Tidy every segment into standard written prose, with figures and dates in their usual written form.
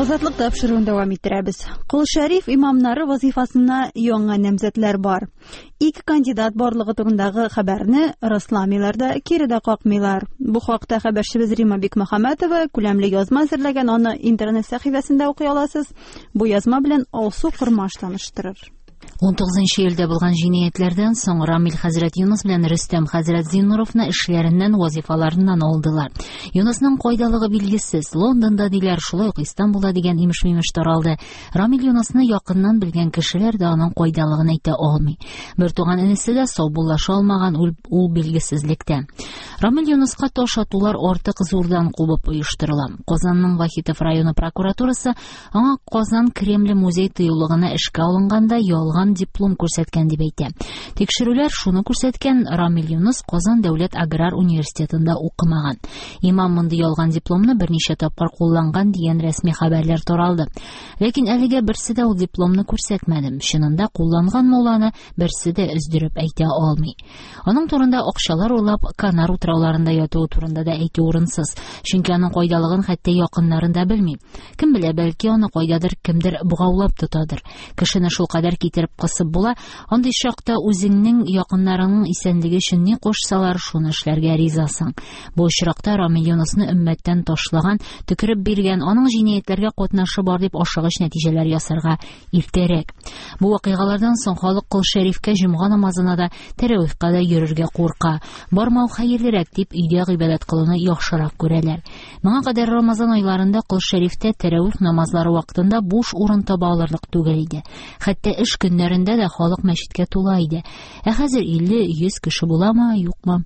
Азатлык тапшыруын дәвам иттерәбез. Кол Шәриф имамнары вазифасына яңа намзәтләр бар. Ике кандидат барлыгы турындагы хәбәрне расламыйлар да, кире дә какмыйлар. Бу хакта хәбәрчебез Рима Бикмөхәммәтова күләмле язма әзерләгән, аны интернет сәхифәсендә укый аласыз. Бу язма белән Алсу Кормаш таныштырыр. 19 июльдә булган җинаятьләрдән соң Рамил хәзрәт Юныс белән Рөстәм хәзрәт Зиннуровны эшләреннән, вазифаларыннан алдылар. Юнысның кайдалыгы билгесез. Лондонда диләр, шулай ук Истанбулда дигән имеш-мимеш таралды. Рамил Юнысны якыннан белгән кешеләр дә аның кайдалыгын әйтә алмый. Бер туган энесе дә саубуллаша алмаган, ул билгесезлектә. Рамил Юныска таш атулар артык зурдан кубып оештырыла. Казанның Вахитов районы прокуратурасы аңа Казан Кремле музей тыюлыгына эшкә алынганда ялган диплом күрсәткән дип әйтә. Тикшерүләр шуны күрсәткән, Рамил Юныс Казан дәүләт аграр университетында укымаган. Имам мондый ялган дипломны берничә тапкыр кулланган дигән рәсми хәбәрләр таралды. Ләкин әлегә берсе дә ул дипломны күрсәтмәде. Чынында кулланганмы ул аны, берсе дә өздереп әйтә алмый. Аның турында акчалар урлап Канар утрауларында ятуы турында да әйтү урынсыз, чөнки аның кайдалыгын хәтта якыннарын да белми. Кем белә, бәлки аны кайдадыр кемдер богаулап тотадыр. Кешене шул кадәр китереп кысып була, андый чакта үзеңнең якыннарыңның исәнлеге өчен ни кушсалар, шуны эшләргә ризасың. Бу очракта Рамил Юнысны өммәттән ташлаган, төкереп биргән, аның җинаятьләргә катнашы бар дип ашыгыч нәтиҗәләр ясарга иртәрәк. Бу вакыйгалардан соң халык Кол Шәрифкә җомга намазына да, тәравихка да йөрергә курка. Бармау хәерлерәк дип өйдә гыйбадәт кылуны яхшырак күрәләр. Моңа кадәр Рамазан айларында Кол Шәрифтә тәравих намазлары вакытында буш урын таба алырлык түгел иде. Хәтта эш көннәрендә дә халык мәчеткә тула иде. Ә хәзер 50-100 кеше буламы, юкмы?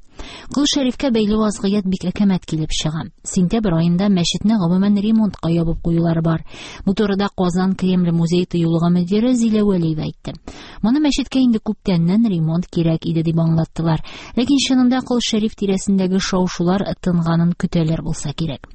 Кол Шәрифкә бәйле вазгыять бик әкәмәт килеп чыга. Сентябрь аенда мәчетне гомумән ремонтка ябып куюлары бар. Бу турыда Казан Кремле музей тыюлыгы мөдире Зилә Вәлиева әйтте. Моны мәчеткә инде күптәннән ремонт кирәк иде дип аңлаттылар. Ләкин чынында Кол Шәриф тирәсендәге шау-шулар тынганын көтәләр булса кирәк.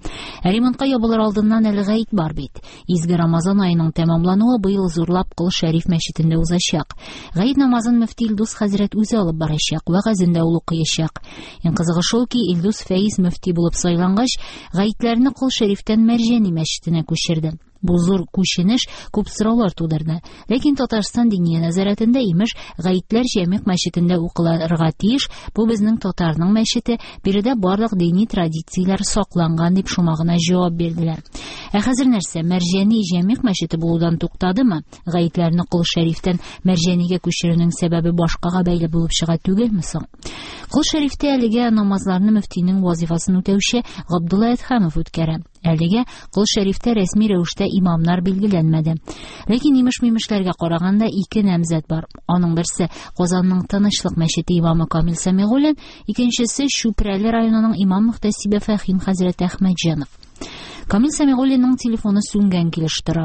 Ә ремонтка ябылыр алдыннан әле гает бар бит. Изге Рамазан аеның тәмамлануы быел зурлап Кол Шәриф мәчетендә узачак. Гает намазын мөфти Илдус хәзрәт үзе алып барачак, вәгазен дә ул укыячак. Иң кызыгы шул ки, Илдус Фәиз мөфти булып сайлангач, гаетләрне Кол Шәрифтән Мәрҗани мәчетенә күчерде. Бу зур күченеш күп сораулар тудырды. Ләкин Татарстан Диния нәзарәтендә имеш, гаетләр Җәмигъ мәчетендә укылырга тиеш, бу безнең татарның мәчете, биредә барлык дини традицияләр сакланган дип шома гына җавап бирделәр. Ә хәзер нәрсә, Мәрҗани Җәмигъ мәчете булудан туктадымы? Гаетләрне Кол Шәрифтән Мәрҗанигә күчерүнең сәбәбе башкага бәйле булып чыга түгелме соң? Кол Шәрифтә әлегә намазларны мөфтинең вазифасын үтәүче Габдулла Әдһәмов үткәрә. Әлегә Кол Шәрифтә рәсми рәвештә имамнар билгеләнмәде. Ләкин имеш-мимешләргә караганда ике намзәт бар. Аның берсе Казанның Тынычлык мәчете имамы Камил Сәмигуллин, икенчесе Чүпрәле районының имам мөхтәсибе Фәхим хәзрәт Әхмәтҗанов. Камил Сәмигуллинның телефоны сүнгән килеш тора.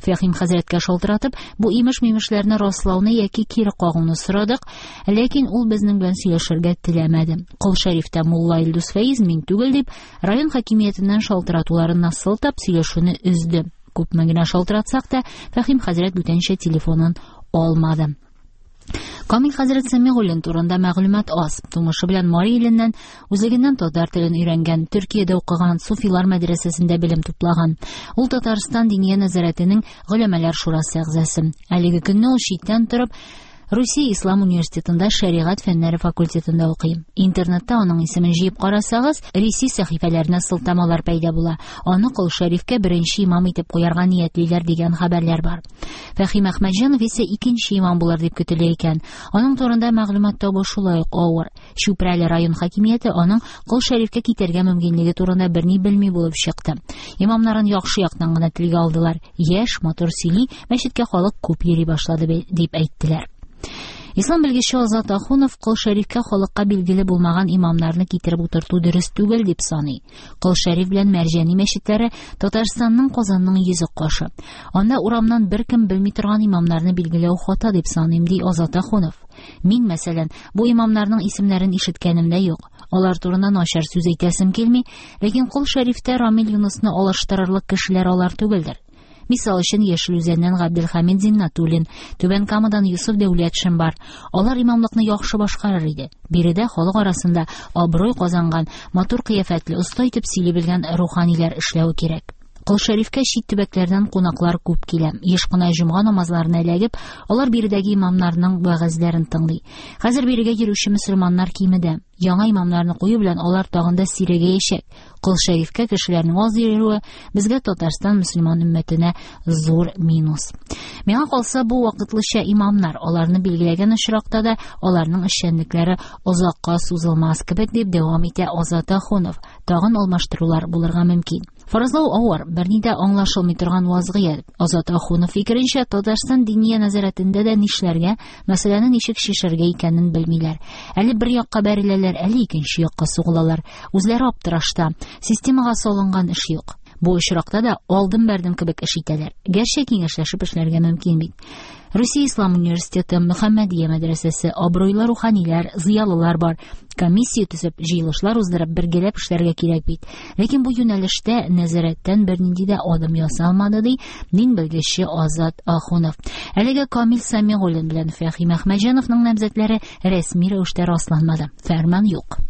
Фәхим хәзрәткә шалтыратып, бу имеш-мимешләрне раслауны яки кире кагуны сорадык, ләкин ул безнең белән сөйләшергә теләмәде. Кол Шәрифтә мулла Илдус Фәиз мин түгел дип, район хакимиятеннән шалтыратуларына сылтап сөйләшүне өзде. Күпме генә шалтыратсак та, Фәхим хәзрәт бүтәнчә телефонын алмады. Камил хәзрәт Сәмигуллин турында мәгълүмат аз. Тумышы белән Мари иленнән, үзлегеннән татар телен өйрәнгән, Төркиядә укыган, Суфилар мәдрәсәсендә белем туплаган. Ул Татарстан Диния нәзарәтенең Голәмәләр шурасы әгъзасы. Әлеге көнне ул читтән торып Русия Ислам университетында шәригать фәннәре факультетында укый. Интернетта аның исемен җыеп карасагыз, Ресей сәхифәләренә сылтамалар пәйда була. Аны Кол Шәрифкә беренче имам итеп куярга ниятлиләр дигән хәбәрләр бар. Фәхим Әхмәтҗанов исә икенче имам булыр дип көтелә икән. Аның турында мәгълүмат табу шулай ук авыр. Чүпрәле район хакимияте аның Кол Шәрифкә китәргә мөмкинлеге турында берни белми булып чыкты. Имамнарын яхшы яктан гына телгә алдылар. Яшь, матур сөйли, мәчеткә халык күп йөри башлады дип әйттеләр. Ислам белгече Азат Ахунов Кол Шәрифкә халыкка билгеле булмаган имамнарны китереп утырту дөрес түгел дип саный. Кол Шәриф белән Мәрҗани мәчетләре Татарстанның Казанның йөзе кашы. Анда урамнан беркем белми торган имамнарны билгеләү хата дип саныйм, ди Азат Ахунов. Мин, мәсәлән, бу имамнарның исемнәрен ишеткәнем дә юк. Алар турында начар сүз әйтәсем килми, ләкин Кол Шәрифтә Рамил Юнысны алыштырырлык кешеләр алар түгелдер. Мисал өчен Яшел Үзәннән Габделхамид Зиннатуллин, Түбән Камадан Юсуф Дәүләтшин бар. Алар имамлыкны яхшы башкарыр иде. Биредә халык арасында абруй казанган, матур кыяфәтле, оста итеп сөйли белгән руханилар эшләве кирәк. Кол Шәрифкә чит төбәкләрдән кунаклар күп килә. Еш кына җомга намазларына эләгеп, алар биредәге имамнарның вәгазьләрен тыңлый. Хәзер бирегә йөрүче мөселманнар кимеде. Яңа имамнарны кую белән алар тагын да сирәгәячәк. Кол Шәрифкә кешеләрнең аз йөрүе безгә Татарстан мөселман өммәтенә зур минус. Миңа калса, бу вакытлыча имамнар, аларны билгеләгән очракта да аларның эшчәнлекләре озакка сузылмас кебек, дип дәвам итә Азат Ахунов. Тагын алмаштырулар булырга мөмкин. Фаразлау авыр, берни дә аңлашылмый торган вазгыять. Азат Ахунов фикеренчә, Татарстан Диния нәзарәтендә дә нишләргә, мәсьәләне ничек чишәргә икәнен белмиләр. Әле бер якка бәреләләр, әле икенче якка сугылалар. Үзләре аптырашта. Системага салынган эш юк. Бу очракта да алдым-бәрдем кебек эш итәләр. Гәрчә киңәшләшеп эшләргә мөмкин бит. Русия Ислам университеты, Мөхәммәдия мәдрәсәсе, абруйлы руханилар, зыялылар бар. Комиссия төзеп, җыелышлар уздырып, бергәләп эшләргә кирәк бит. Ләкин бу юнәлештә нәзарәттән бернинди дә адым ясалмады, ди дин белгече Азат Ахунов. Әлегә Камил Сәмигуллин белән Фәһим Әхмәтҗановның намзәтләре рәсми рәвештә расланмады. Фәрман юк.